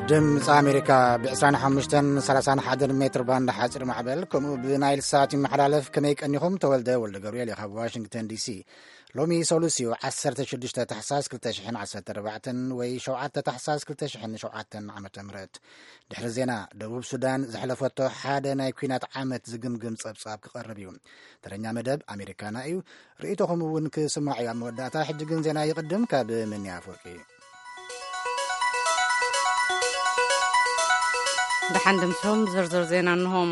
ድምፂ ኣሜሪካ ብ ዕስራን ሓሙሽተን ሰላሳን ሓደን ሜትር ባንድ ሓፂር ማዕበል፣ ከምኡ ብናይል ሳት ይመሓላለፍ። ከመይ ቀኒኹም? ተወልደ ወልደ ገብርኤል እየ ካብ ዋሽንግተን ዲሲ። ሎሚ ሰሉስ እዩ፣ ዓሰርተ ሽዱሽተ ታሕሳስ ክልተ ሽሕን ዓሰርተ ኣርባዕተን ወይ ሸውዓተ ታሕሳስ ክልተ ሽሕን ሸውዓተን ዓመተ ምህረት። ድሕሪ ዜና፣ ደቡብ ሱዳን ዘሕለፈቶ ሓደ ናይ ኲናት ዓመት ዝግምግም ጸብጻብ ክቐርብ እዩ። ተረኛ መደብ ኣሜሪካና እዩ። ርእይቶኹም እውን ክስማዕ እዩ። ኣብ መወዳእታ፣ ሕጂ ግን ዜና ይቕድም። ካብ ምንያ ኣፈወርቂ። ደሓን ድምሶም ዝርዝር ዜና እንሆም።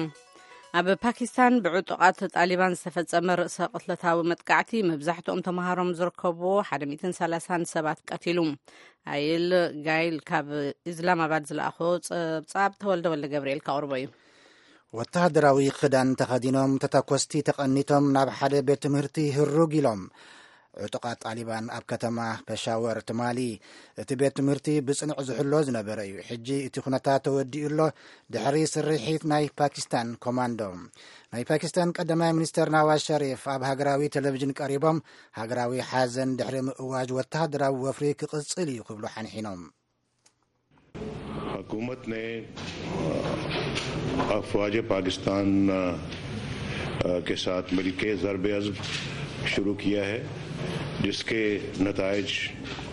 ኣብ ፓኪስታን ብዕጡቓት ጣሊባን ዝተፈጸመ ርእሰ ቅትለታዊ መጥቃዕቲ፣ መብዛሕትኦም ተምሃሮም ዝርከብዎ ሓደ ሚእትን ሰላሳን ሰባት ቀቲሉ። ኣይል ጋይል ካብ ኢስላማባድ ዝለኣኾ ጸብጻብ ተወልደ ወልደ ገብርኤል ከቕርቦ እዩ። ወተሃደራዊ ክዳን ተኸዲኖም ተተኮስቲ ተቐኒቶም ናብ ሓደ ቤት ትምህርቲ ህሩግ ኢሎም። ዕጡቓት ጣሊባን ኣብ ከተማ ፐሻወር ትማሊ እቲ ቤት ትምህርቲ ብጽኑዕ ዝሕሎ ዝነበረ እዩ። ሕጂ እቲ ኩነታት ተወዲኡ ኣሎ፣ ድሕሪ ስርሒት ናይ ፓኪስታን ኮማንዶ። ናይ ፓኪስታን ቀዳማይ ሚኒስተር ናዋዝ ሸሪፍ ኣብ ሃገራዊ ቴሌቪዥን ቀሪቦም፣ ሃገራዊ ሓዘን ድሕሪ ምእዋጅ ወተሃደራዊ ወፍሪ ክቕጽል እዩ ክብሉ ሓንሒኖም። حکومت نے افواج پاکستان کے ساتھ مل کے ضرب عزم شروع کیا ہے، جس کے نتائج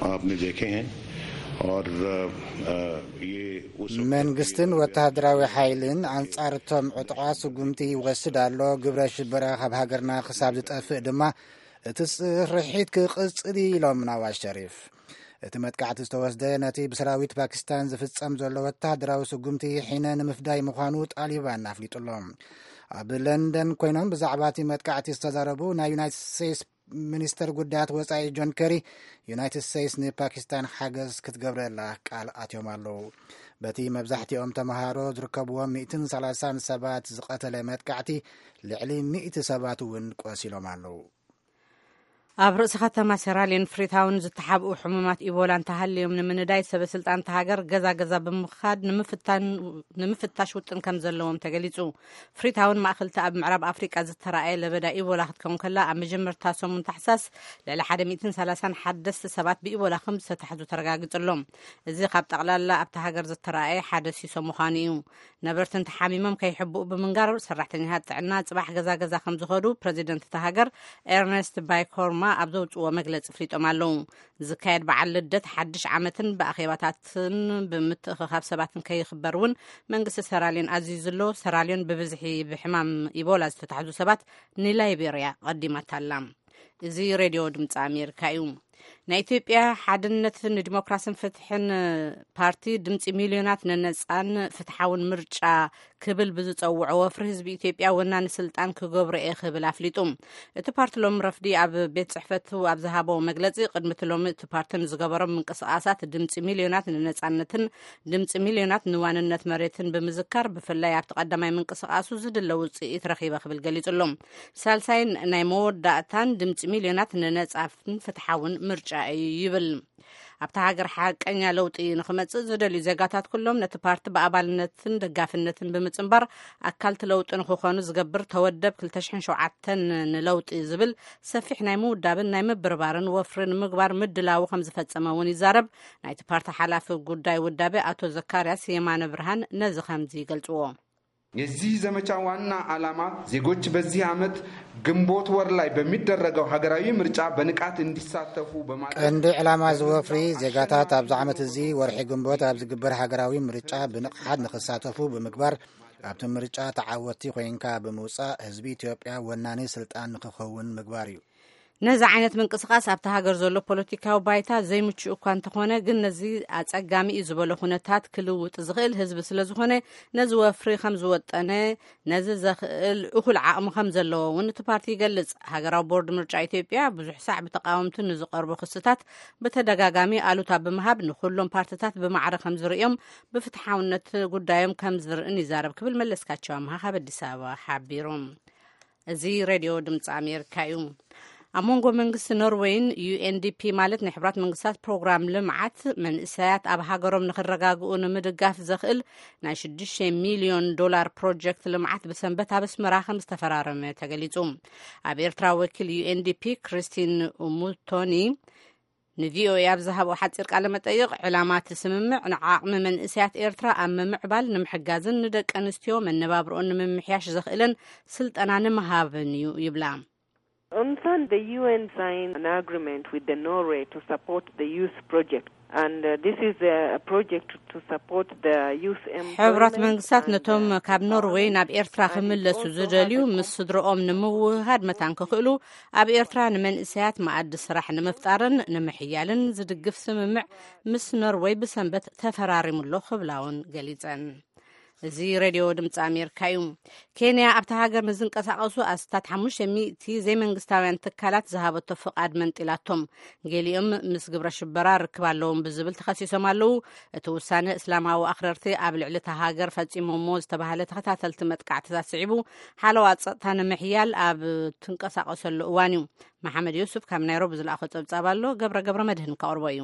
آپ نے دیکھے ہیں اور یہ اس وقت መንግስትን ወተሃደራዊ ሓይልን ኣንጻር እቶም ዕጡቓት ስጉምቲ ይወስድ ኣሎ። ግብረ ሽበራ ካብ ሃገርና ክሳብ ዝጠፍእ ድማ እቲ ስርሒት ክቕጽል እዩ ኢሎም ናዋዝ ሸሪፍ። እቲ መጥቃዕቲ ዝተወስደ ነቲ ብሰራዊት ፓኪስታን ዝፍጸም ዘሎ ወተሃደራዊ ስጉምቲ ሒነ ንምፍዳይ ምዃኑ ጣሊባን ኣፍሊጡ ኣሎ። ኣብ ለንደን ኮይኖም ብዛዕባ እቲ መጥቃዕቲ ዝተዛረቡ ናይ ዩናይትድ ስቴትስ ሚኒስተር ጉዳያት ወጻኢ ጆን ከሪ፣ ዩናይትድ ስቴትስ ንፓኪስታን ሓገዝ ክትገብረላ ቃል ኣትዮም ኣለዉ። በቲ መብዛሕትኦም ተምሃሮ ዝርከብዎም ሚእትን ሰላሳን ሰባት ዝቐተለ መጥቃዕቲ፣ ልዕሊ ሚእቲ ሰባት እውን ቆሲሎም ኣለዉ። ኣብ ርእሲ ከተማ ሴራሊዮን ፍሪታውን ዝተሓብኡ ሕሙማት ኢቦላ እንተሃልዮም ንምንዳይ ሰበ ስልጣን እታ ሃገር ገዛ ገዛ ብምኻድ ንምፍታን ንምፍታሽ ውጥን ከም ዘለዎም ተገሊጹ። ፍሪታውን ማእኸልቲ ኣብ ምዕራብ ኣፍሪቃ ዝተራእየ ለበዳ ኢቦላ ክትከውን ከላ፣ ኣብ መጀመርታ ሰሙን ታሕሳስ ልዕሊ ሓደ ሚእትን ሰላሳን ሓደስቲ ሰባት ብኢቦላ ከም ዝተታሕዙ ተረጋጊጹ ኣሎ። እዚ ካብ ጠቕላላ ኣብታ ሃገር ዝተራእየ ሓደ ሲሶ ምዃኑ እዩ። ነበርቲ እንተሓሚሞም ከይሕብኡ ብምንጋር፣ ሰራሕተኛታት ጥዕና ጽባሕ ገዛ ገዛ ከም ዝኸዱ ፕረዚደንት እታ ሃገር ኤርነስት ባይኮርማ ኣብ ዘውጽዎ መግለጺ ፍሊጦም ኣለዉ። ዝካየድ በዓል ልደት ሓድሽ ዓመትን ብኣኼባታትን ብምትእኽኻብ ሰባትን ከይኽበር እውን መንግስቲ ሰራልዮን ኣዚዙ ኣሎ። ሰራልዮን ብብዝሒ ብሕማም ኢቦላ ዝተታሕዙ ሰባት ንላይቤርያ ቀዲማታ ኣላ። እዚ ሬድዮ ድምፂ ኣሜሪካ እዩ። ናይ ኢትዮጵያ ሓድነት ንዲሞክራስን ፍትሕን ፓርቲ ድምፂ ሚልዮናት ንነፃን ፍትሓውን ምርጫ ክብል ብዝፀውዖ ወፍሪ ህዝቢ ኢትዮጵያ ወናኒ ስልጣን ክገብሮ እየ ክብል ኣፍሊጡ። እቲ ፓርቲ ሎም ረፍዲ ኣብ ቤት ጽሕፈቱ ኣብ ዝሃቦ መግለጺ፣ ቅድሚ እቲ ሎሚ እቲ ፓርቲ ንዝገበሮም ምንቅስቓሳት ድምጺ ሚልዮናት ንነጻነትን ድምጺ ሚልዮናት ንዋንነት መሬትን ብምዝካር፣ ብፍላይ ኣብቲ ቀዳማይ ምንቅስቓሱ ዝድለ ውጽኢት ረኺበ ክብል ገሊጹ ኣሎ። ሳልሳይን ናይ መወዳእታን ድምጺ ሚልዮናት ንነጻፍን ፍትሓውን ምርጫ እዩ ይብል። ኣብታ ሃገር ሓቀኛ ለውጢ ንኽመጽእ ዝደልዩ ዜጋታት ኩሎም ነቲ ፓርቲ ብኣባልነትን ደጋፍነትን ብምጽንባር ኣካልቲ ለውጢ ንኽኾኑ ዝገብር ተወደብ ክልተ ሽሕን ሸውዓተን ንለውጢ ዝብል ሰፊሕ ናይ ምውዳብን ናይ ምብርባርን ወፍሪ ንምግባር ምድላዉ ከም ዝፈጸመ እውን ይዛረብ። ናይቲ ፓርቲ ሓላፊ ጉዳይ ውዳቤ ኣቶ ዘካርያስ የማነ ብርሃን ነዚ ከምዚ ይገልጽዎ። የዚህ ዘመቻ ዋና ዓላማ ዜጎች በዚህ ዓመት ግንቦት ወር ላይ በሚደረገው ሀገራዊ ምርጫ በንቃት እንዲሳተፉ በማድረግ ቀንዲ ዕላማ እዚ ወፍሪ ዜጋታት ኣብዚ ዓመት እዚ ወርሒ ግንቦት ኣብ ዝግበር ሃገራዊ ምርጫ ብንቕሓት ንኽሳተፉ ብምግባር ኣብቲ ምርጫ ተዓወቲ ኮይንካ ብምውፃእ ህዝቢ ኢትዮጵያ ወናኒ ስልጣን ንኽኸውን ምግባር እዩ። ነዚ ዓይነት ምንቅስቓስ ኣብቲ ሃገር ዘሎ ፖለቲካዊ ባይታ ዘይምቹእ እኳ እንተኾነ ግን ነዚ ኣጸጋሚ እዩ ዝበሎ ኩነታት ክልውጥ ዝኽእል ህዝቢ ስለ ዝኾነ ነዚ ወፍሪ ከም ዝወጠነ ነዚ ዘኽእል እኹል ዓቕሚ ከም ዘለዎ እውን እቲ ፓርቲ ይገልጽ። ሃገራዊ ቦርድ ምርጫ ኢትዮጵያ ብዙሕ ሳዕ ብተቃወምቲ ንዝቐርቡ ክስታት ብተደጋጋሚ ኣሉታ ብምሃብ ንኹሎም ፓርትታት ብማዕረ ከም ዝርእዮም ብፍትሓውነት ጉዳዮም ከም ዝርእን ይዛረብ ክብል መለስካቸው ኣምሃ ካብ ኣዲስ ኣበባ ሓቢሩ። እዚ ሬድዮ ድምፂ ኣሜሪካ እዩ። ኣብ መንጎ መንግስቲ ኖርወይን ዩኤንዲፒ ማለት ናይ ሕብራት መንግስታት ፕሮግራም ልምዓት መንእሰያት ኣብ ሃገሮም ንክረጋግኡ ንምድጋፍ ዘኽእል ናይ ሽዱሽተ ሚልዮን ዶላር ፕሮጀክት ልምዓት ብሰንበት ኣብ ኣስመራ ከም ዝተፈራረመ ተገሊጹ። ኣብ ኤርትራ ወኪል ዩኤንዲፒ ክሪስቲን ሙቶኒ ንቪኦኤ ኣብ ዝሃቦ ሓጺር ቃለ መጠይቕ፣ ዕላማ እቲ ስምምዕ ንዓቕሚ መንእሰያት ኤርትራ ኣብ ምምዕባል ንምሕጋዝን ንደቂ ኣንስትዮ መነባብርኦን ንምምሕያሽ ዘኽእለን ስልጠና ንምሃብን እዩ ይብላ። On Sunday, the U N signed an agreement with the Norway to support the youth project. And uh, this is a, a project to support the youth employment. ሕቡራት መንግስታት ነቶም ካብ ኖርዌይ ናብ ኤርትራ ክምለሱ ዝደልዩ ምስ ስድረኦም ንምውህሃድ መታን ክኽእሉ፣ ኣብ ኤርትራ ንመንእሰያት መኣዲ ስራሕ ንምፍጣርን ንምሕያልን ዝድግፍ ስምምዕ ምስ ኖርዌይ ብሰንበት ተፈራሪሙሎ ክብላ እውን ገሊጸን። እዚ ሬድዮ ድምፂ ኣሜሪካ እዩ። ኬንያ ኣብታ ሃገር ንዝንቀሳቐሱ ኣስታት ሓሙሽተ ሚእቲ ዘይመንግስታውያን ትካላት ዝሃበቶ ፍቓድ መንጢላቶም። ገሊኦም ምስ ግብረ ሽበራ ርክብ ኣለዎም ብዝብል ተኸሲሶም ኣለዉ። እቲ ውሳነ እስላማዊ ኣኽረርቲ ኣብ ልዕሊ እታ ሃገር ፈጺሞሞ ዝተባህለ ተኸታተልቲ መጥቃዕትታት ስዒቡ፣ ሓለዋ ጸጥታ ንምሕያል ኣብ ትንቀሳቐሰሉ እዋን እዩ። መሓመድ ዩሱፍ ካብ ናይሮቢ ዝለኣኾ ጸብጻብ ኣሎ። ገብረ ገብረ መድህን ከቕርቦ እዩ።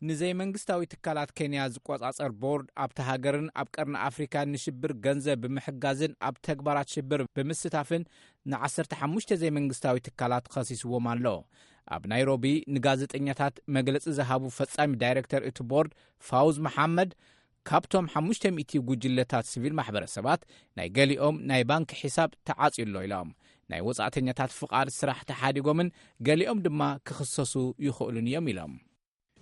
ንዘይመንግስታዊ ትካላት ኬንያ ዝቆጻጸር ቦርድ ኣብቲ ሃገርን ኣብ ቀርኒ ኣፍሪካ ንሽብር ገንዘብ ብምሕጋዝን ኣብ ተግባራት ሽብር ብምስታፍን ን15 ዘይመንግስታዊ ትካላት ኸሲስዎም ኣሎ። ኣብ ናይሮቢ ንጋዜጠኛታት መግለጺ ዝሃቡ ፈጻሚ ዳይሬክተር እቲ ቦርድ ፋውዝ መሓመድ፣ ካብቶም ሓሙሽተ ሚእቲ ጉጅለታት ሲቪል ማሕበረሰባት ናይ ገሊኦም ናይ ባንክ ሒሳብ ተዓጽዩ ኣሎ ኢሎም። ናይ ወጻእተኛታት ፍቓድ ስራሕ ተሓዲጎምን ገሊኦም ድማ ክኽሰሱ ይኽእሉን እዮም ኢሎም።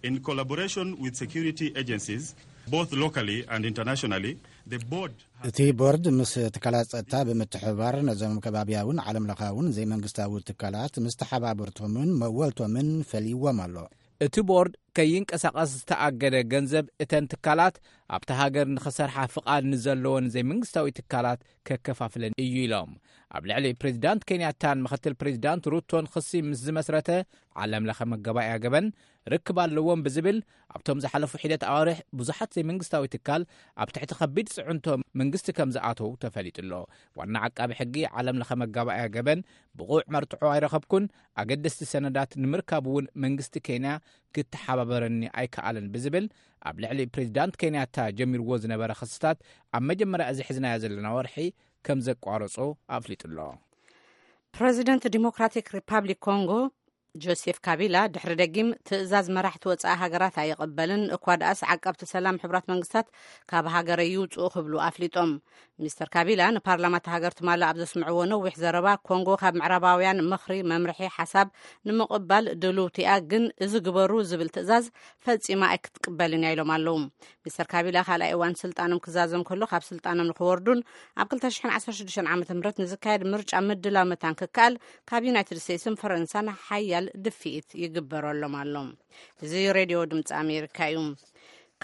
In collaboration with security agencies, both locally and internationally, the board has እቲ ቦርድ ምስ ትካላት ጸጥታ ብምትሕብባር ነዞም ከባብያውን ዓለም ለኻውን ዘይመንግስታዊ ትካላት ምስ ተሓባበርቶምን መወልቶምን ፈልይዎም ኣሎ። እቲ ቦርድ ከይንቀሳቐስ ዝተኣገደ ገንዘብ እተን ትካላት ኣብቲ ሃገር ንኽሰርሓ ፍቓድ ንዘለወን ዘይመንግስታዊ ትካላት ከከፋፍለን እዩ ኢሎም። ኣብ ልዕሊ ፕሬዚዳንት ኬንያታን ምኽትል ፕሬዚዳንት ሩቶን ክሲ ምስ ዝመስረተ ዓለም ለኸ መገባእያ ገበን ርክብ ኣለዎም ብዝብል ኣብቶም ዝሓለፉ ሒደት ኣዋርሕ ብዙሓት ዘይመንግስታዊ ትካል ኣብ ትሕቲ ከቢድ ጽዕንቶ መንግስቲ ከም ዝኣተው ተፈሊጡ ኣሎ። ዋና ዓቃቢ ሕጊ ዓለም ለኸ መጋባእያ ገበን ብቑዕ መርትዖ ኣይረኸብኩን፣ ኣገደስቲ ሰነዳት ንምርካብ እውን መንግስቲ ኬንያ ክተሓባበረኒ ኣይከኣለን ብዝብል ኣብ ልዕሊ ፕሬዚዳንት ኬንያታ ጀሚርዎ ዝነበረ ክስታት ኣብ መጀመርያ እዚ ሒዝናዮ ዘለና ወርሒ ከም ዘቋረጾ ኣፍሊጡ ኣሎ። ፕሬዚደንት ዲሞክራቲክ ሪፓብሊክ ኮንጎ ጆሴፍ ካቢላ ድሕሪ ደጊም ትእዛዝ መራሕቲ ወጻኢ ሃገራት ኣይቕበልን፣ እኳ ደኣስ ዓቀብቲ ሰላም ሕቡራት መንግስታት ካብ ሃገረይ ይውጽኡ ክብሉ ኣፍሊጦም። ሚስተር ካቢላ ንፓርላማ እታ ሃገር ትማሊ ኣብ ዘስምዕዎ ነዊሕ ዘረባ፣ ኮንጎ ካብ ምዕራባውያን ምኽሪ፣ መምርሒ፣ ሓሳብ ንምቕባል ድልውቲ እያ፣ ግን እዚ ግበሩ ዝብል ትእዛዝ ፈጺማ ኣይክትቅበልን እያ ኢሎም ኣለዉ። ሚስተር ካቢላ ካልኣይ እዋን ስልጣኖም ክዛዘም ከሎ፣ ካብ ስልጣኖም ንክወርዱን ኣብ ክልተ ሽሕን ዓሰርተ ሽዱሽተን ዓመተ ምህረት ንዝካየድ ምርጫ ምድላው መታን ክከኣል ካብ ዩናይትድ ስቴትስን ፈረንሳን ሓያል ድፍኢት ይግበረሎም ኣሎ። እዚ ሬድዮ ድምፂ ኣሜሪካ እዩ።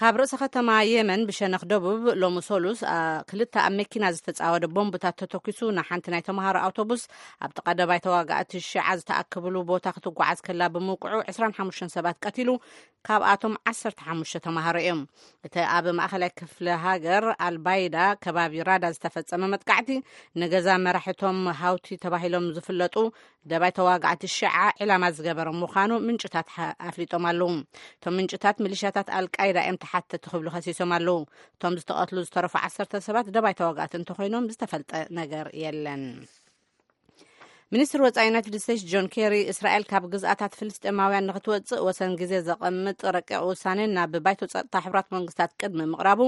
ካብ ርእሰ ከተማ የመን ብሸነኽ ደቡብ ሎሚ ሰሉስ፣ አ፣ ክልተ ኣብ መኪና ዝተጻወደ ቦምብታት ተተኪሱ ንሓንቲ ናይ ተምሃሮ ኣውቶቡስ ኣብ ጥቓ ደባይ ተዋጋእቲ ሽዓ ዝተኣከብሉ ቦታ ክትጓዓዝ ከላ ብምውቅዑ ዕስራን ሓሙሽተን ሰባት ቀቲሉ፣ ካብኣቶም ዓሰርተ ሓሙሽተ ተምሃሮ እዮም። እቲ ኣብ ማእኸላይ ክፍለ ሃገር ኣልባይዳ ከባቢ ራዳ ዝተፈጸመ መጥቃዕቲ፣ ንገዛ መራሕቶም ሃውቲ ተባሂሎም ዝፍለጡ ደባይ ተዋጋእቲ ሽዓ ዕላማ ዝገበረ ምዃኑ ምንጭታት ሓ-፣ ኣፍሊጦም ኣለዉ። እቶም ምንጭታት፣ ሚሊሻታት ኣልቃይዳ እዮም ተሓተቲ ክብሉ ከሲሶም ኣለዉ። እቶም ዝተቐትሉ ዝተረፉ ዓሰርተ ሰባት ደባይ ተዋጋእቲ እንተኾይኖም ዝተፈልጠ ነገር የለን። ሚኒስትር ወጻኢ ዩናይትድ ስቴትስ ጆን ኬሪ፣ እስራኤል ካብ ግዝኣታት ፍልስጤማውያን ንክትወጽእ ወሰን ግዜ ዘቐምጥ ረቂቕ ውሳኔ ናብ ባይቶ ጸጥታ ሕቡራት መንግስታት ቅድሚ ምቕራቡ፣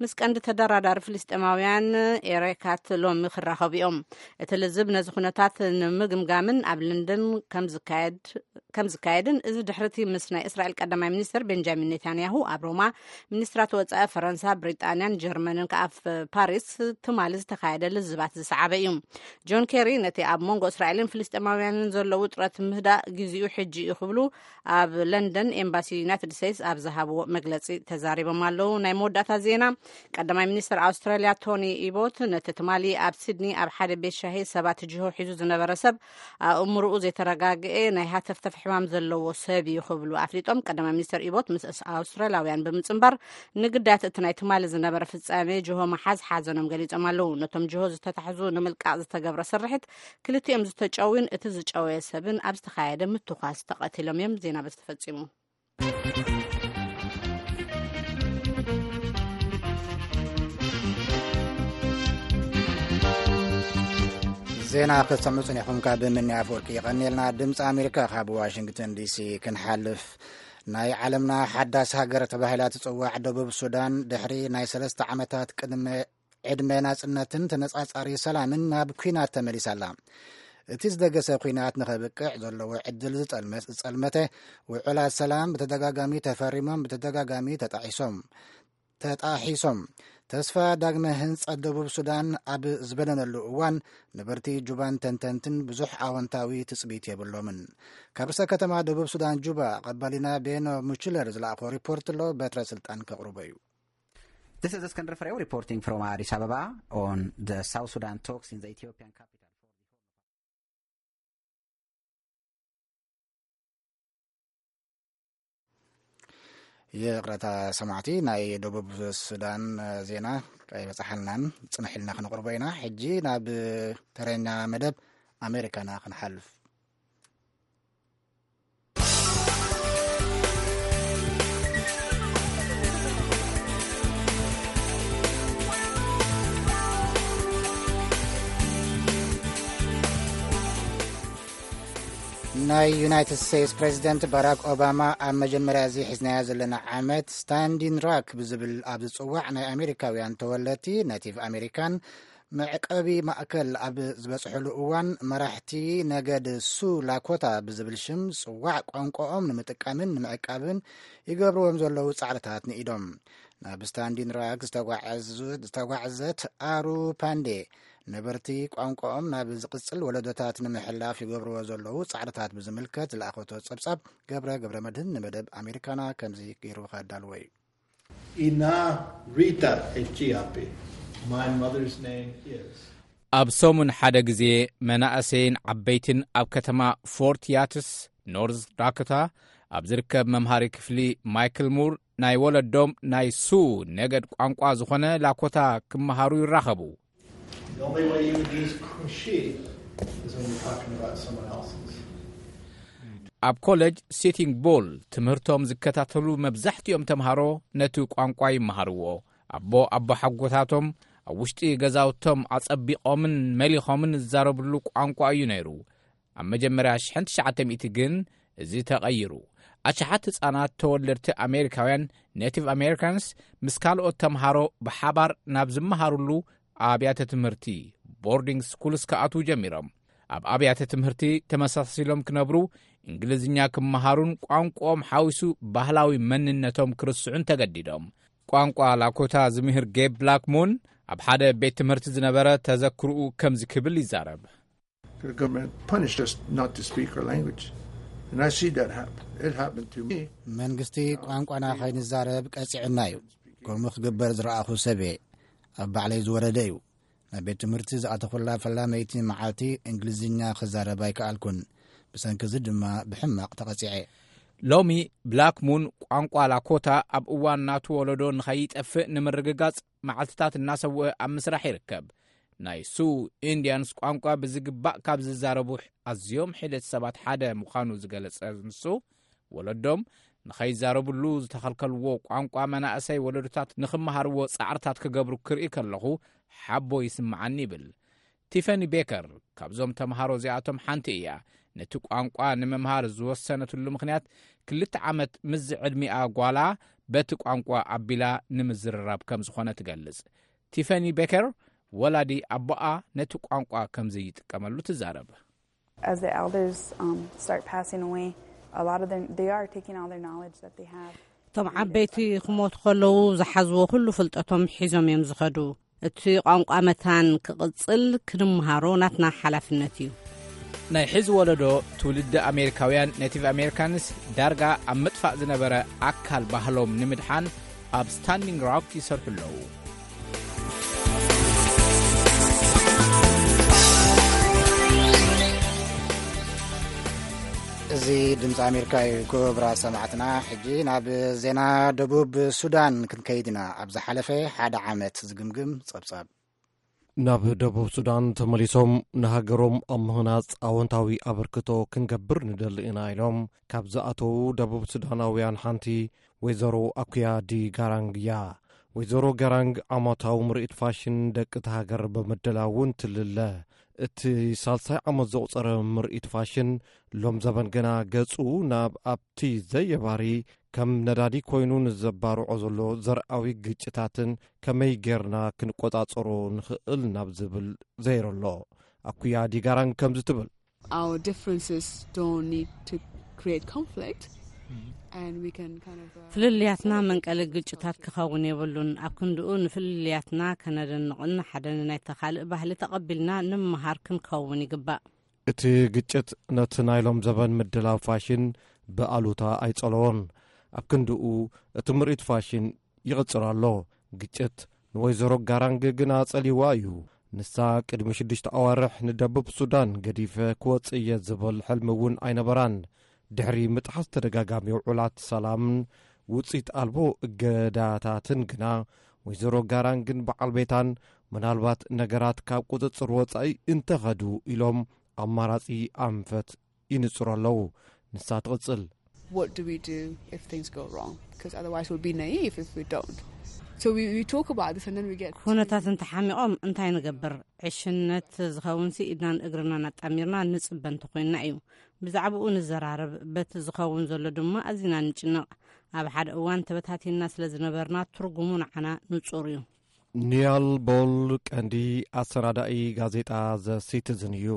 ምስ ቀንዲ ተደራዳሪ ፍልስጤማውያን ኤሬካት ሎሚ ክራኸቡ እዮም። እቲ ልዝብ ነዚ ኩነታት ንምግምጋምን ኣብ ለንደን ከም ዝካየድ፣ ከም ዝካየድን፣ እዚ ድሕርቲ ምስ ናይ እስራኤል ቀዳማይ ሚኒስትር ቤንጃሚን ኔታንያሁ ኣብ ሮማ፣ ሚኒስትራት ወጻኢ ፈረንሳ፣ ብሪጣንያን ጀርመንን ከኣ ኣብ ፓሪስ ትማሊ ዝተኻየደ ልዝባት ዝሰዓበ እዩ። ጆን ኬሪ ነቲ ኣብ መንጎ እስራኤልን ፍልስጤማውያንን ዘሎ ውጥረት ምህዳእ ግዜኡ ሕጂ እዩ ክብሉ ኣብ ለንደን ኤምባሲ ዩናይትድ ስቴትስ ኣብ ዝሃብዎ መግለጺ ተዛሪቦም ኣለዉ። ናይ መወዳእታ ዜና፣ ቀዳማይ ሚኒስትር ኣውስትራልያ ቶኒ ኢቦት ነቲ ትማሊ ኣብ ሲድኒ ኣብ ሓደ ቤት ሻሂ ሰባት ጅሆ ሒዙ ዝነበረ ሰብ ኣእምሮኡ ዘይተረጋግኤ ናይ ሃተፍተፍ ሕማም ዘለዎ ሰብ እዩ ክብሉ ኣፍሊጦም። ቀዳማይ ሚኒስትር ኢቦት ምስ ኣውስትራልያውያን ብምጽንባር ንግዳያት እቲ ናይ ትማሊ ዝነበረ ፍጻሜ ጅሆ ምሓዝ ሓዘኖም ገሊጾም ኣለዉ። ነቶም ጅሆ ዝተታሕዙ ንምልቃቕ ዝተገብረ ስርሒት ክልቲኦም ዝተጨውዩን እቲ ዝጨወየ ሰብን ኣብ ዝተኻየደ ምትኳስ ተቐቲሎም እዮም። ዜና በዚ ተፈጺሙ። ዜና ክትሰምዑ ጽኒሕኩም ካብ ምኒ ኣፈወርቂ። ይቐንየልና። ድምፂ ኣሜሪካ ካብ ዋሽንግተን ዲሲ ክንሓልፍ፣ ናይ ዓለምና ሓዳስ ሃገር ተባሂላ ትጽዋዕ ደቡብ ሱዳን፣ ድሕሪ ናይ ሰለስተ ዓመታት ቅድመ ዕድመ ናጽነትን ተነጻጻሪ ሰላምን ናብ ኲናት ተመሊሳ ኣላ። እቲ ዝደገሰ ኲናት ንኸብቅዕ ዘለዎ ዕድል ዝጠልመ-፣ ዝጸልመተ ውዕላት ሰላም ብተደጋጋሚ ተፈሪሞም፣ ብተደጋጋሚ ተጣሒሶም፣ ተጣሒሶም። ተስፋ ዳግመ ህንጸት ደቡብ ሱዳን ኣብ ዝበነነሉ እዋን፣ ነበርቲ ጁባን ተንተንትን ብዙሕ ኣወንታዊ ትጽቢት የብሎምን። ካብ ርእሰ ከተማ ደቡብ ሱዳን ጁባ፣ ቀባሊና ቤኖ ሙችለር ዝለኣኾ ሪፖርት ኣሎ፣ በትረ ስልጣን ከቕርቦ እዩ። This is Iskandar Frew reporting from Addis Ababa on the South Sudan talks in the Ethiopian capital. ይቕረታ ሰማዕቲ፣ ናይ ደቡብ ሱዳን ዜና ኣይበጽሓልናን፣ ጽንሕ ኢልና ክነቕርቦ ኢና። ሕጂ ናብ ተረኛ መደብ ኣሜሪካና ክንሓልፍ። ናይ ዩናይትድ ስቴትስ ፕሬዚደንት ባራክ ኦባማ ኣብ መጀመርያ እዚ ሒዝናዮ ዘለና ዓመት ስታንዲን ራክ ብዝብል ኣብ ዝጽዋዕ ናይ ኣሜሪካውያን ተወለድቲ፣ ኔቲቭ ኣሜሪካን፣ መዕቀቢ ማእከል ኣብ ዝበጽሕሉ እዋን፣ መራሕቲ ነገድ ሱ ላኮታ ብዝብል ሽም ዝጽዋዕ ቋንቋኦም ንምጥቃምን ንምዕቃብን ይገብርዎም ዘለዉ ጻዕርታት ንኢዶም። ናብ ስታንዲን ራክ ዝተጓዓዙ-፣ ዝተጓዕዘት ኣሩ ፓንዴ፣ ነበርቲ ቋንቋኦም ናብ ዝቕጽል ወለዶታት ንምሕላፍ ይገብርዎ ዘለዉ ጻዕርታት ብዝምልከት ዝለኣኸቶ ጸብጻብ ገብረ ገብረ መድህን ንመደብ ኣሜሪካና ከምዚ ገይሩ ከዳልዎ እዩ። Ina Rita Echiapi. My mother's name is ኣብ ሰሙን ሓደ ግዜ መናእሰይን ዓበይትን ኣብ ከተማ ፎርት ያትስ፣ ኖርዝ ዳኮታ፣ ኣብ ዝርከብ መምሃሪ ክፍሊ ማይክል ሙር ናይ ወለዶም ናይ ሱ ነገድ ቋንቋ ዝኾነ ላኮታ ክመሃሩ ይራኸቡ። The only way you would use Kushi is when you're talking about someone else's. ኣብ ኮለጅ ሲቲንግ ቡል ትምህርቶም ዝከታተሉ መብዛሕትኦም ተምሃሮ ነቲ ቋንቋ ይመሃርዎ። ኣቦ ኣቦ ሓጎታቶም ኣብ ውሽጢ ገዛውቶም ኣጸቢቖምን መሊኾምን ዝዛረብሉ ቋንቋ እዩ ነይሩ። ኣብ መጀመርያ ሽሕን ትሽዓተ ሚእቲ ግን እዚ ተቐይሩ። ኣሽሓት ህጻናት ተወለድቲ ኣሜሪካውያን፣ ኔቲቭ ኣሜሪካንስ፣ ምስ ካልኦት ተምሃሮ ብሓባር ናብ ዝመሃሩሉ ኣብያተ ትምህርቲ፣ ቦርዲንግ ስኩልስ፣ ክኣትዉ ጀሚሮም። ኣብ ኣብያተ ትምህርቲ ተመሳሲሎም ክነብሩ፣ እንግሊዝኛ ክመሃሩን ቋንቋኦም ሓዊሱ ባህላዊ መንነቶም ክርስዑን ተገዲዶም። ቋንቋ ላኮታ ዝምህር ጌብ ብላክሙን ኣብ ሓደ ቤት ትምህርቲ ዝነበረ ተዘክርኡ ከምዚ ክብል ይዛረብ። The government punished us not to speak our language. And I see that happen. It happened to me. መንግስቲ ቋንቋና ከይንዛረብ ቀጺዑና እዩ። ከምኡ ክግበር ዝረኣኹ ሰብ እየ። ኣብ ባዕለይ ዝወረደ እዩ። ናብ ቤት ትምህርቲ ዝኣተኹላ ፈላመይቲ መዓልቲ እንግሊዝኛ ክዛረብ ኣይከኣልኩን። ብሰንኪ እዚ ድማ ብሕማቕ ተቐጺዐ። ሎሚ ብላክ ሙን ቋንቋ ላኮታ ኣብ እዋን ናቱ ወለዶ ንኸይጠፍእ ንምርግጋጽ መዓልትታት እናሰውአ ኣብ ምስራሕ ይርከብ። ናይ ሱ ኢንድያንስ ቋንቋ ብዝግባእ ካብ ዝዛረቡ ኣዝዮም ሒደት ሰባት ሓደ ምዃኑ ዝገለጸ ንሱ፣ ወለዶም ንኸይዛረብሉ ዝተኸልከልዎ ቋንቋ መናእሰይ ወለዶታት ንኽመሃርዎ ጻዕርታት ክገብሩ ክርኢ ከለኹ ሓቦ ይስምዓኒ ይብል። ቲፈኒ ቤከር ካብዞም ተምሃሮ እዚኣቶም ሓንቲ እያ። ነቲ ቋንቋ ንምምሃር ዝወሰነትሉ ምኽንያት ክልተ ዓመት ምስ ዝዕድሚኣ ጓላ በቲ ቋንቋ ኣቢላ ንምዝርራብ ከም ዝኾነ ትገልጽ። ቲፈኒ ቤከር ወላዲ ኣቦኣ ነቲ ቋንቋ ከም ዘይጥቀመሉ ትዛረብ። As the elders um, start passing away, a lot of them, they are taking all their knowledge that they have. እቶም ዓበይቲ ክሞቱ ከለዉ ዝሓዝዎ ኩሉ ፍልጠቶም ሒዞም እዮም ዝኸዱ። እቲ ቋንቋ መታን ክቕጽል ክንምሃሮ ናትና ሓላፍነት እዩ። ናይ ሕዚ ወለዶ ትውልዲ ኣሜሪካውያን፣ ኔቲቭ ኣሜሪካንስ፣ ዳርጋ ኣብ ምጥፋእ ዝነበረ ኣካል ባህሎም ንምድሓን ኣብ ስታንዲንግ ሮክ ይሰርሑ ኣለዉ። እዚ ድምፂ ኣሜሪካ እዩ። ክቡራት ሰማዕትና፣ ሕጂ ናብ ዜና ደቡብ ሱዳን ክንከይድ ኢና። ኣብ ዝሓለፈ ሓደ ዓመት ዝግምግም ጸብጻብ። ናብ ደቡብ ሱዳን ተመሊሶም ንሃገሮም ኣብ ምህናጽ ኣወንታዊ ኣበርክቶ ክንገብር ንደሊ ኢና ኢሎም ካብ ዝኣተዉ ደቡብ ሱዳናውያን ሓንቲ ወይዘሮ ኣኩያ ዲ ጋራንግ እያ። ወይዘሮ ጋራንግ ዓመታዊ ምርኢት ፋሽን ደቂ እታ ሃገር ብምድላው እውን ትልለ። እቲ ሳልሳይ ዓመት ዘቑጸረ ምርኢት ፋሽን ሎም ዘበን ግና ገጹ ናብ ኣብቲ ዘየባሪ ከም ነዳዲ ኮይኑ ንዘባርዖ ዘሎ ዘርኣዊ ግጭታትን ከመይ ጌርና ክንቆጻጸሮ ንኽእል ናብ ዝብል ዘይሩ ኣሎ። ኣኩያ ዲጋራን ከምዚ ትብል። Our differences don't need to create conflict, and we can kind of. Uh, ፍልልያትና መንቀሊ ግጭታት ክኸውን የብሉን። ኣብ ክንድኡ ንፍልልያትና ከነደንቕን ሓደ ንናይተ ካልእ ባህሊ ተቐቢልና ንምሃር ክንከውን ይግባእ። እቲ ግጭት ነቲ ናይሎም ዘበን ምድላው ፋሽን ብኣሉታ ኣይጸለዎን። ኣብ ክንድኡ እቲ ምርኢት ፋሽን ይቕጽር ኣሎ። ግጭት ንወይዘሮ ጋራንግ ግና ጸሊዋ እዩ። ንሳ ቅድሚ ሽዱሽተ ኣዋርሕ ንደቡብ ሱዳን ገዲፈ ክወጽእ እየ ዝብል ሕልሚ እውን ኣይነበራን። ድሕሪ ምጥሓስ ተደጋጋሚ ውዑላት ሰላምን ውጽኢት ኣልቦ እገዳታትን ግና ወይዘሮ ጋራንግን በዓል ቤታን ምናልባት ነገራት ካብ ቁጽጽር ወጻኢ እንተኸዱ ኢሎም ኣማራጺ ኣንፈት ይንጽሩ ኣለዉ። ንሳ ትቕጽል። What do we do if things go wrong? Because otherwise we'll be naive if we don't. So we, we talk about this and then we get. ኩነታት እንተሓሚቖም እንታይ ንገብር? ዕሽነት ዝኸውንሲ ኢድናን እግርናን ኣጣሚርና ንጽበ እንተኾይንና እዩ። ብዛዕባኡ ንዘራረብ፣ በቲ ዝኸውን ዘሎ ድማ ኣዚና ንጭነቕ። ኣብ ሓደ እዋን ተበታቲንና ስለ ዝነበርና ትርጉሙ ንዓና ንጹር እዩ። ኒያል ቦል ቀንዲ ኣሰናዳኢ ጋዜጣ ዘ ሲቲዝን እዩ።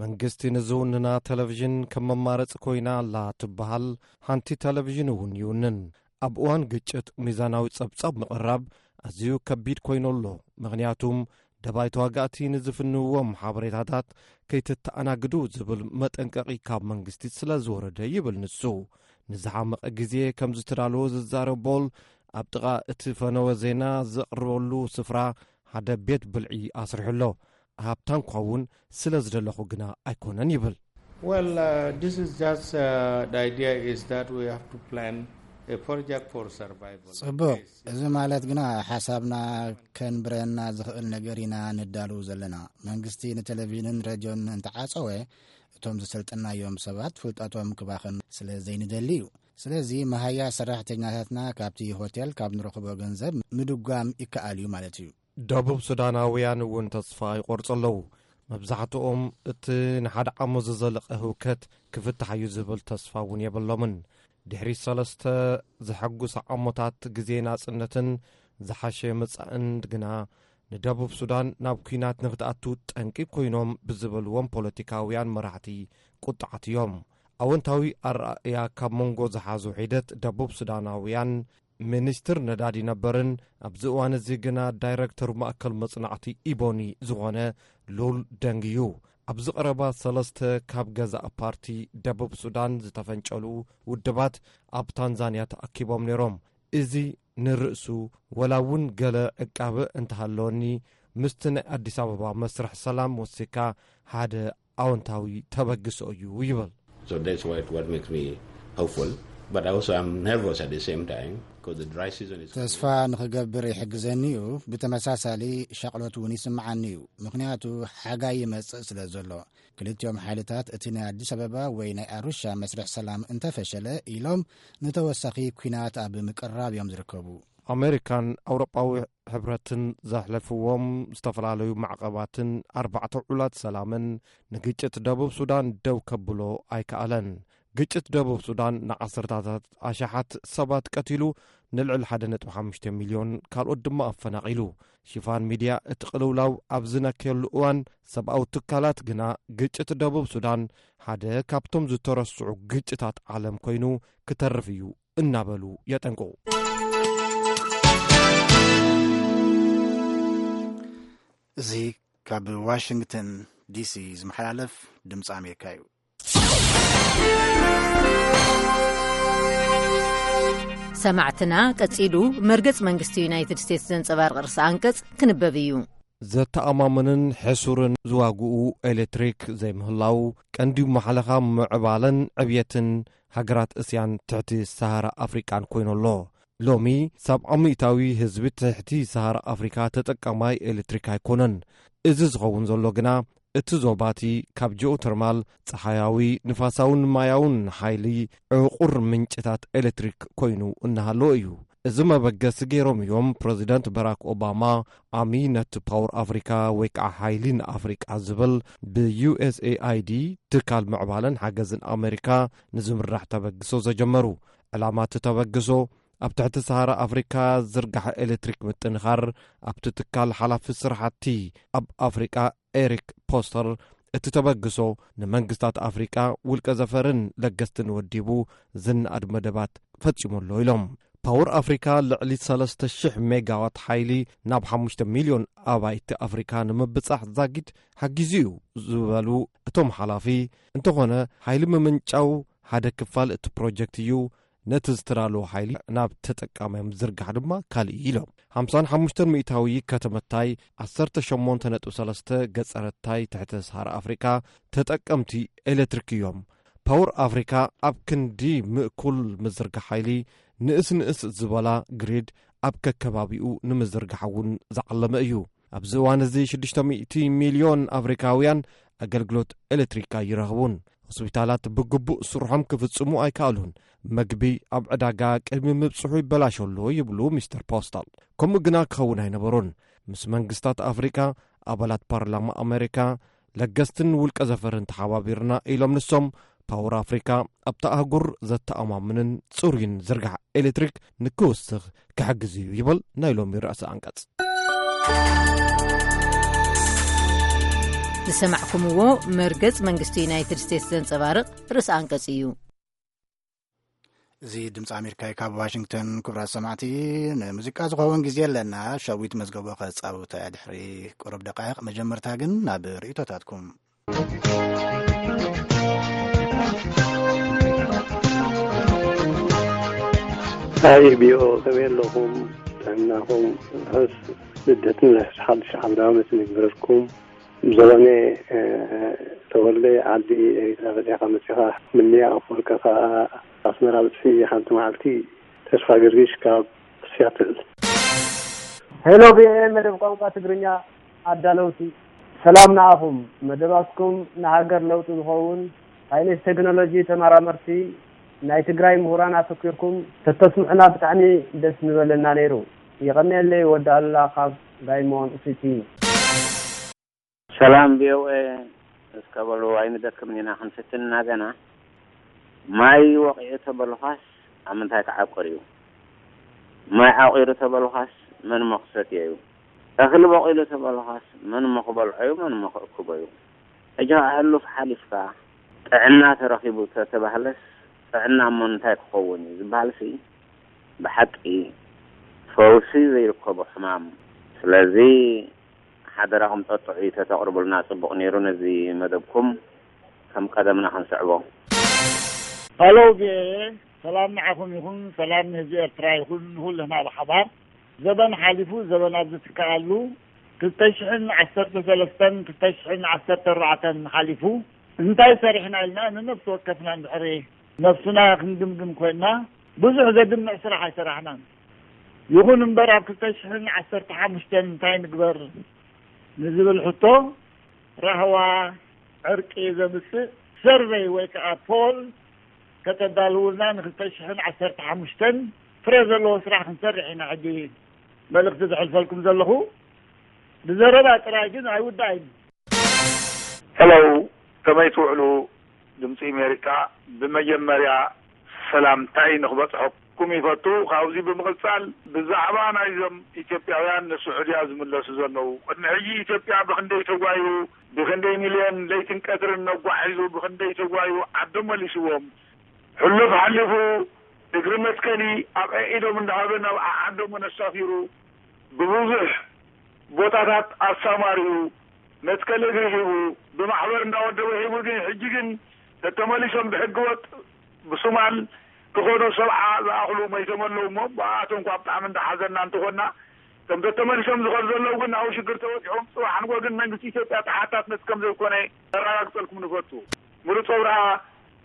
መንግስቲ ንዝውንና ቴሌቪዥን ከም መማረፂ ኮይና ኣላ ትበሃል ሓንቲ ቴሌቪዥን እውን ይውንን። ኣብ እዋን ግጭት ሚዛናዊ ጸብጻብ ምቕራብ ኣዝዩ ከቢድ ኮይኑ ኣሎ። ምኽንያቱም ደባይ ተዋጋእቲ ንዝፍንዎም ሓበሬታታት ከይትተኣናግዱ ዝብል መጠንቀቒ ካብ መንግስቲ ስለ ዝወረደ ይብል ንሱ። ንዝሓመቐ ግዜ ከም ዝተዳለወ ዝዛረብ ቦል ኣብ ጥቓ እቲ ፈነወ ዜና ዘቕርበሉ ስፍራ ሓደ ቤት ብልዒ ኣስሪሑ ኣሎ። ሃብታም ክኸውን ስለ ዝደለኹ ግና ኣይኮነን ይብል። Well, uh, this is just uh, the idea is that we have to plan a project for survival. ጽቡቕ። እዚ ማለት ግና ሓሳብና ከንብረና ዝኽእል ነገር ኢና ንዳልው ዘለና። መንግስቲ ንቴሌቪዥንን ሬድዮን እንተዓጸወ እቶም ዝሰልጠናዮም ሰባት ፍልጠቶም ክባኸን ስለ ዘይንደሊ እዩ። ስለዚ መሃያ ሰራሕተኛታትና ካብቲ ሆቴል ካብ ንረኽቦ ገንዘብ ምድጓም ይከኣል እዩ ማለት እዩ። ደቡብ ሱዳናውያን እውን ተስፋ ይቆርጹ ኣለዉ። መብዛሕትኦም እቲ ንሓደ ዓሞ ዝዘለቐ ህውከት ክፍታሕ እዩ ዝብል ተስፋ እውን የብሎምን። ድሕሪ ሰለስተ ዘሐጉስ ዓሞታት ግዜ ናጽነትን ዝሓሸ መጻእን ግና ንደቡብ ሱዳን ናብ ኲናት ንክትኣቱ ጠንቂ ኮይኖም ብዝበልዎም ፖለቲካውያን መራሕቲ ቁጥዓት እዮም። ኣወንታዊ ኣረኣእያ ካብ መንጎ ዝሓዙ ሒደት ደቡብ ሱዳናውያን ሚኒስትር ነዳዲ ነበርን ኣብዚ እዋን እዚ ግና ዳይረክተር ማእከል መጽናዕቲ ኢቦኒ ዝኾነ ሉል ደንግ እዩ። ኣብዚ ቀረባ ሰለስተ ካብ ገዛእ ፓርቲ ደቡብ ሱዳን ዝተፈንጨሉ ውድባት ኣብ ታንዛንያ ተኣኪቦም ነይሮም። እዚ ንርእሱ ወላ እውን ገለ ዕቃበ እንተሃለወኒ ምስቲ ናይ ኣዲስ ኣበባ መስርሕ ሰላም ወሲካ ሓደ ኣወንታዊ ተበግሶ እዩ ይብል። So that's what, what makes me hopeful. But I also am nervous at the same time because the dry season is. ተስፋ ንኽገብር ይሕግዘኒ እዩ። ብተመሳሳሊ ሻቕሎት እውን ይስምዓኒ እዩ። ምኽንያቱ ሓጋይ ይመጽእ ስለ ዘሎ። ክልቲኦም ሓይልታት እቲ ናይ ኣዲስ ኣበባ ወይ ናይ ኣሩሻ መስርሕ ሰላም እንተፈሸለ ኢሎም ንተወሳኺ ኲናት ኣብ ምቅራብ እዮም ዝርከቡ። ኣሜሪካን ኣውሮጳዊ ሕብረትን ዘሕለፍዎም ዝተፈላለዩ ማዕቐባትን ኣርባዕተ ውዑላት ሰላምን ንግጭት ደቡብ ሱዳን ደው ከብሎ ኣይከኣለን። ግጭት ደቡብ ሱዳን ንዓሰርታታት ኣሽሓት ሰባት ቀቲሉ፣ ንልዕሊ ሓደ ነጥቢ ሓሙሽተ ሚልዮን ካልኦት ድማ ኣፈናቒሉ። ሽፋን ሚድያ እቲ ቅልውላው ኣብ ዝነከየሉ እዋን ሰብኣዊ ትካላት ግና ግጭት ደቡብ ሱዳን ሓደ ካብቶም ዝተረስዑ ግጭታት ዓለም ኮይኑ ክተርፍ እዩ እናበሉ የጠንቅቑ። እዚ ካብ ዋሽንግተን ዲሲ ዝመሓላለፍ ድምፂ ኣሜሪካ እዩ። ሰማዕትና፣ ቀጺሉ መርገጽ መንግስቲ ዩናይትድ ስቴትስ ዘንጸባርቕ ርእሰ ኣንቀጽ ክንበብ እዩ። ዘተኣማምንን ሕሱርን ዝዋግኡ ኤሌክትሪክ ዘይምህላው ቀንዲ ማሕለኻ ምዕባለን ዕብየትን ሃገራት እስያን ትሕቲ ሰሃራ ኣፍሪቃን ኮይኑ ኣሎ። ሎሚ ሰብዓ ሚእታዊ ህዝቢ ትሕቲ ሰሃራ ኣፍሪካ ተጠቃማይ ኤሌክትሪክ ኣይኮነን። እዚ ዝኸውን ዘሎ ግና እቲ ዞባቲ ካብ ጂኦተርማል፣ ጸሓያዊ፣ ንፋሳውን ማያውን ሓይሊ ዕቑር ምንጭታት ኤሌክትሪክ ኮይኑ እናሃለወ እዩ። እዚ መበገሲ ገይሮም እዮም ፕረዚደንት በራክ ኦባማ ኣሚ ነቲ ፓወር ኣፍሪካ ወይ ከዓ ሓይሊ ንኣፍሪቃ ዝብል ብዩኤስኤኣይዲ ትካል ምዕባለን ሓገዝን ኣሜሪካ ንዝምራሕ ተበግሶ ዘጀመሩ። ዕላማ እቲ ተበግሶ ኣብ ትሕቲ ሰሃራ ኣፍሪካ ዝርጋሐ ኤሌክትሪክ ምጥንኻር ኣብቲ ትካል ሓላፊ ስራሕቲ ኣብ ኣፍሪቃ ኤሪክ ፖስተር እቲ ተበግሶ ንመንግስታት ኣፍሪቃ ውልቀ ዘፈርን ለገስትን ወዲቡ ዝነኣድ መደባት ፈጺሙ ኣሎ ኢሎም። ፓወር ኣፍሪካ ልዕሊ ሰለስተ ሽሕ ሜጋዋት ሓይሊ ናብ ሓሙሽተ ሚልዮን ኣባይቲ ኣፍሪካ ንምብጻሕ ዛጊድ ሓጊዙ እዩ ዝበሉ እቶም ሓላፊ፣ እንተኾነ ሓይሊ ምምንጫው ሓደ ክፋል እቲ ፕሮጀክት እዩ፣ ነቲ ዝተዳለወ ሓይሊ ናብ ተጠቃማይ ምዝርጋሕ ድማ ካልእ እዩ ኢሎም። ሓምሳን ሓሙሽተን ሚእታዊ ከተመታይ ዓሰርተ ሸሞንተ ነጥቢ ሰለስተ ገጸረታይ ትሕተ ሰሃራ ኣፍሪካ ተጠቀምቲ ኤሌክትሪክ እዮም። ፓወር ኣፍሪካ ኣብ ክንዲ ምእኩል ምዝርጋሕ ሓይሊ ንእስ ንእስ ዝበላ ግሪድ ኣብ ከከባቢኡ ንምዝርጋሕ እውን ዝዓለመ እዩ። ኣብዚ እዋን እዚ ሽዱሽተ ሚእቲ ሚልዮን ኣፍሪካውያን ኣገልግሎት ኤሌክትሪክ ኣይረኽቡን። ሆስፒታላት ብግቡእ ስርሖም ክፍጽሙ ኣይከኣሉን። መግቢ ኣብ ዕዳጋ ቅድሚ ምብጽሑ ይበላሾ ኣሎ ይብሉ ሚስተር ፖስታል። ከምኡ ግና ክኸውን ኣይነበሮን። ምስ መንግስታት ኣፍሪካ፣ ኣባላት ፓርላማ ኣሜሪካ፣ ለገስትን ውልቀ ዘፈርን ተሓባቢርና ኢሎም ንሶም፣ ፓወር ኣፍሪካ ኣብታ ኣህጉር ዘተኣማምንን ጽሩይን ዝርጋሕ ኤሌክትሪክ ንክውስኽ ክሕግዝ እዩ ይብል ናይ ሎሚ ርእሲ ኣንቀጽ። ዝሰማዕኩምዎ መርገጽ መንግስቲ ዩናይትድ ስቴትስ ዘንጸባርቕ ርእሲ ኣንቀጽ እዩ። እዚ ድምፂ ኣሜሪካ እዩ ካብ ዋሽንግተን። ክቡራት ሰማዕቲ፣ ንሙዚቃ ዝኸውን ግዜ ኣለና። ሸዊት መዝገቦ ከጻውታ ድሕሪ ቁሩብ ደቃይቕ። መጀመርታ ግን ናብ ርእይቶታትኩም። ኣይ ቢኦ ከመይ ኣለኹም? ጥዕናኹም ርሑስ ልደትን ርሑስ ሓድሽ ዓውደ ዓመትን ይግበረልኩም። ዘበነ ተወልደ ዓዲ ኤሪትራ ፈቲኻ መጺኻ ምንያ ኣፈወርቂ ከኣ ኣስመራ ብጽሒ ሓንቲ መዓልቲ። ተስፋ ገርጊሽ ካብ ሲያትል። ሄሎ ቪኦኤ መደብ ቋንቋ ትግርኛ ኣዳለውቲ፣ ሰላም ንዓኹም። መደባትኩም ንሃገር ለውጢ ዝኸውን ሳይንስ ቴክኖሎጂ ተመራመርቲ ናይ ትግራይ ምሁራን ኣተኲርኩም ተተስምዑና ብጣዕሚ ደስ ምበለና ነይሩ። የቐንየለይ ወዲ ኣሉላ ካብ ዳይሞን ሲቲ። ሰላም ቪኦኤ፣ እስከ በሉ ኣይንደክምን ኢና ክንፍትን ኢና ገና። ማይ ወቒዑ ተበሉኻስ ኣብ ምንታይ ክዓቁር እዩ? ማይ ዓቑሩ ተበሉኻስ መን እሞ ክሰትዮ እዩ? እኽሊ በቒሉ ተበሉኻስ መን እሞ ክበልዖ እዩ? መን እሞ ክእክቦ እዩ? ሕጂ ኸዓ ሕሉፍ ሓሊፍካ ጥዕና ተረኺቡ ተተባህለስ ጥዕና እሞ እንታይ ክኸውን እዩ ዝበሃልሲ ብሓቂ ፈውሲ ዘይርከቦ ሕማም። ስለዚ ሓደራኹም ጠጥዑ ተተቕርቡልና ጽቡቕ ነይሩ። ነዚ መደብኩም ከም ቀደምና ክንስዕቦ። ሃሎ ቪኦኤ፣ ሰላም ንዓኹም ይኹን፣ ሰላም ንህዝቢ ኤርትራ ይኹን፣ ንኹልና ብሓባር። ዘበን ሓሊፉ ዘበን ኣብ ዝትክኣሉ ክልተ ሽሕን ዓሰርተ ሰለስተን ክልተ ሽሕን ዓሰርተ ኣርባዕተን ሓሊፉ እንታይ ሰሪሕና ኢልና ንነፍሲ ወከፍና እንድሕሪ ነብስና ክንግምግም ኮይንና ብዙሕ ዘድምዕ ስራሕ ኣይሰራሕናን። ይኹን እምበር ኣብ ክልተ ሽሕን ዓሰርተ ሓሙሽተን እንታይ ንግበር ንዝብል ሕቶ ራህዋ ዕርቂ ዘምጽእ ሰርቨይ ወይ ከዓ ፖል ከተዳልውልና ንክልተ ሽሕን ዓሰርተ ሓሙሽተን ፍረ ዘለዎ ስራሕ ክንሰርሕ ኢና። ሕጂ መልእኽቲ ዘሕልፈልኩም ዘለኹ ብዘረባ ጥራይ ግን ኣይውዳእን። ሄሎ፣ ከመይ ትውዕሉ? ድምፂ ኣሜሪካ፣ ብመጀመርያ ሰላምታይ ንክበፅሐኩም ይፈቱ። ካብዚ ብምቕፃል ብዛዕባ ናይዞም ኢትዮጵያውያን ንስዑድያ ዝምለሱ ዘለዉ፣ ቅድሚ ሕጂ ኢትዮጵያ ብክንደይ ተጓዩ፣ ብክንደይ ሚልዮን ለይትን ቀትርን ነጓሒዙ፣ ብክንደይ ተጓዩ ዓዶም መሊስዎም። ሕሉፍ ሓሊፉ እግሪ መትከሊ ኣብ ኣኢዶም እንዳሃበ ናብ ዓዓዶም ኣሳፊሩ፣ ብብዙሕ ቦታታት ኣሳማሪኡ፣ መትከሊ እግሪ ሂቡ፣ ብማሕበር እንዳወደበ ሂቡ፣ ግን ሕጂ ግን ተተመሊሶም ብሕገ ወጥ ብሱማል ክኸዱ ሰብዓ ዝኣኽሉ መይቶም ኣለዉ እሞ፣ ብኣቶም እኳ ብጣዕሚ እንዳሓዘና እንተኾንና፣ እቶም ተተመሊሶም ዝኸዱ ዘለዉ ግን ናብኡ ሽግር ተወጢሖም፣ ጽባሕ ንግሆ ግን መንግስቲ ኢትዮጵያ ተሓታትነት ከም ዘይኮነ ነረጋግጸልኩም ንፈቱ። ምሩፅ ኣብርሃ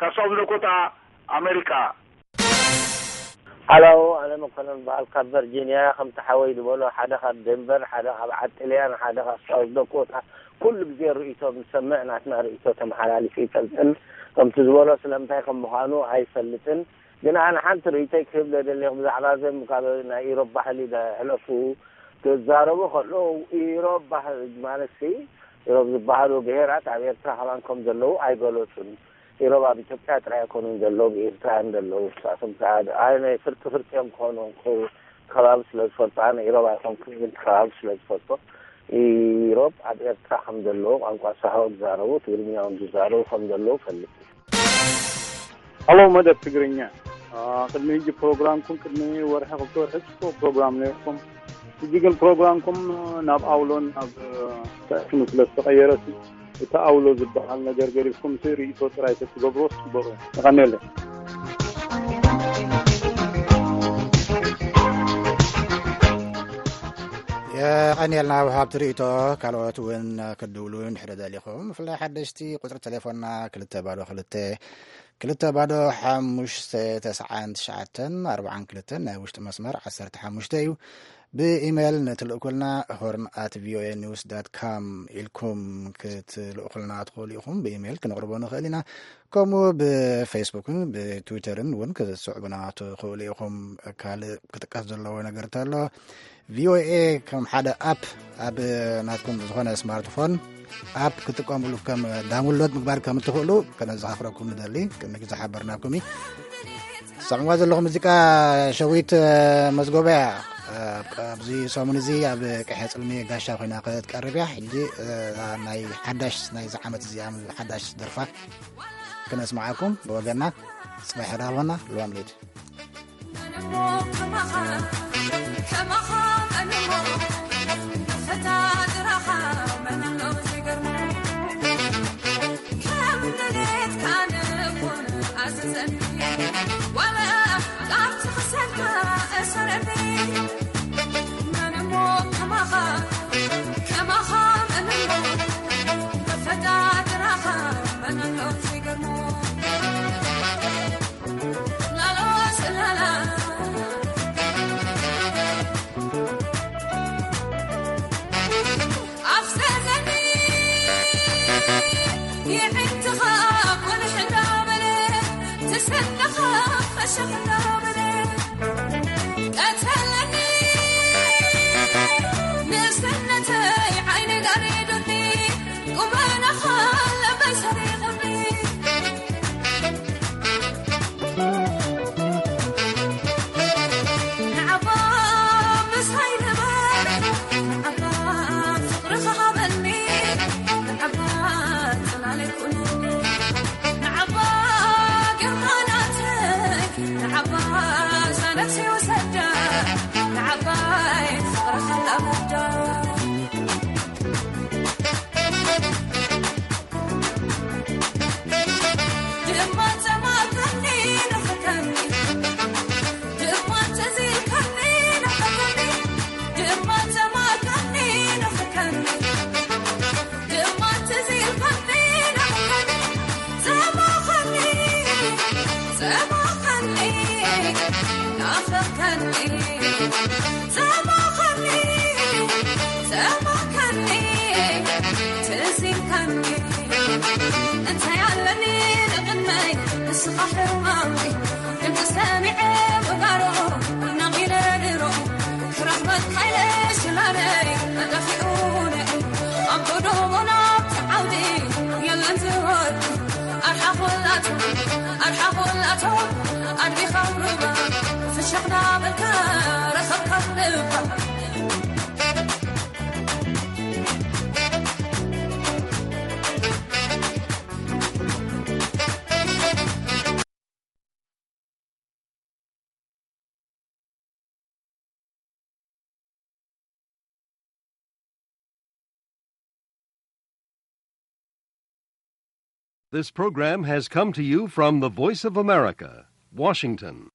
ካብ ሳውዝ ዳኮታ ኣሜሪካ። ሃሎ፣ ኣነ መኮነን በዓል ካብ ቨርጂንያ። ከምቲ ሓወይ ዝበሎ፣ ሓደ ካብ ዴንቨር፣ ሓደ ካብ ዓዲ ጥልያን፣ ሓደ ካብ ሳውዝ ዳኮታ፣ ኩሉ ግዜ ርእይቶ ምስ ሰምዕ ናትና ርእይቶ ተመሓላሊፉ ይፈልጥን፣ ከምቲ ዝበሎ ስለምንታይ ከም ምዃኑ ኣይፈልጥን። ግን ኣነ ሓንቲ ርእይቶይ ክህብ ደደሊኹ ብዛዕባ ዘም ካብ ናይ ኢሮብ ባህሊ ሕለፉ ክዛረቡ ከለዉ ኢሮብ ባህሊ ማለት ኢሮብ ዝበሃሉ ብሄራት ኣብ ኤርትራ ከማን ከም ዘለዉ ኣይገለጹን። ኢሮብ ኣብ ኢትዮጵያ ጥራይ ኣይኮኑን ዘለዉ፣ ብኤርትራ እዮም ዘለዉ። ንሳቶም ከዓ ኣነ ፍርቂ ፍርቂ እዮም ክኾኑ፣ ከባቢ ስለ ዝፈልጡ፣ ኣነ ኢሮብ ኣይኮንኩን፣ ግን ከባቢ ስለ ዝፈልጦ፣ ኢሮብ ኣብ ኤርትራ ከም ዘለዉ፣ ቋንቋ ሳሆ ዝዛረቡ፣ ትግርኛ እውን ዝዛረቡ ከም ዘለዉ ፈልጥ። ሃሎ መደብ ትግርኛ። አ፣ ቅድሚ ሕጂ ፕሮግራምኩም፣ ቅድሚ ወርሒ ክልተ ወርሒ ጽቡቕ ፕሮግራም ነይርኩም። ሕጂ ግን ፕሮግራምኩም ናብ ኣውሎን ናብ ተእሽኑ ስለ ዝተቐየረሲ፣ እቲ ኣውሎ ዝበሃል ነገር ገዲፍኩም ሲ ርእይቶ ጥራይ ተትገብሮ ጽቡቕ እዩ። የቐንየለይ። የቐንየልና ወሃብቲ ርእይቶ። ካልኦት እውን ክትድውሉ እንድሕር ደሊኹም፣ ብፍላይ ሓደሽቲ፣ ቁጽሪ ቴሌፎንና ክልተ ባዶ ክልተ፣ ክልተ ባዶ ሓሙሽተ ተስዓን ትሽዓተን ኣርባዓን ክልተን፣ ናይ ውሽጢ መስመር ዓሰርተ ሓሙሽተ እዩ። ብኢሜይል ንትልእኩልና ሆርን ኣት ቪኦኤ ኒውስ ዳት ካም ኢልኩም ክትልእኩልና ትኽእሉ ኢኹም። ብኢሜይል ክንቕርቦ ንኽእል ኢና። ከምኡ ብፌስቡክን ብትዊተርን እውን ክትስዕቡና ትኽእሉ ኢኹም። ካልእ ክጥቀስ ዘለዎ ነገር እንተሎ፣ ቪኦኤ ከም ሓደ ኣፕ ኣብ ናትኩም ዝኾነ ስማርትፎን ኣፕ ክትጥቀሙሉ ከም ዳውንሎድ ምግባር ከም እትኽእሉ ከነዘኻኽረኩም ንደሊ። ቅድሚ ግዜ ሓበርናኩም እዩ። ሰምዕዋ ዘለኹም ሙዚቃ ሸዊት መዝጎበያ ኣብዚ ሰሙን እዚ ኣብ ቀይሕ ጽልሚ ጋሻ ኮይና ክትቀርብ እያ። ሕጂ ናይ ሓዳሽ ናይዚ ዓመት እዚኣ ሓዳሽ ደርፋ ክነስምዓኩም ብወገና ጽባሕ ዳርሆና ልዋም ሌት This program has come to you from the Voice of America, Washington.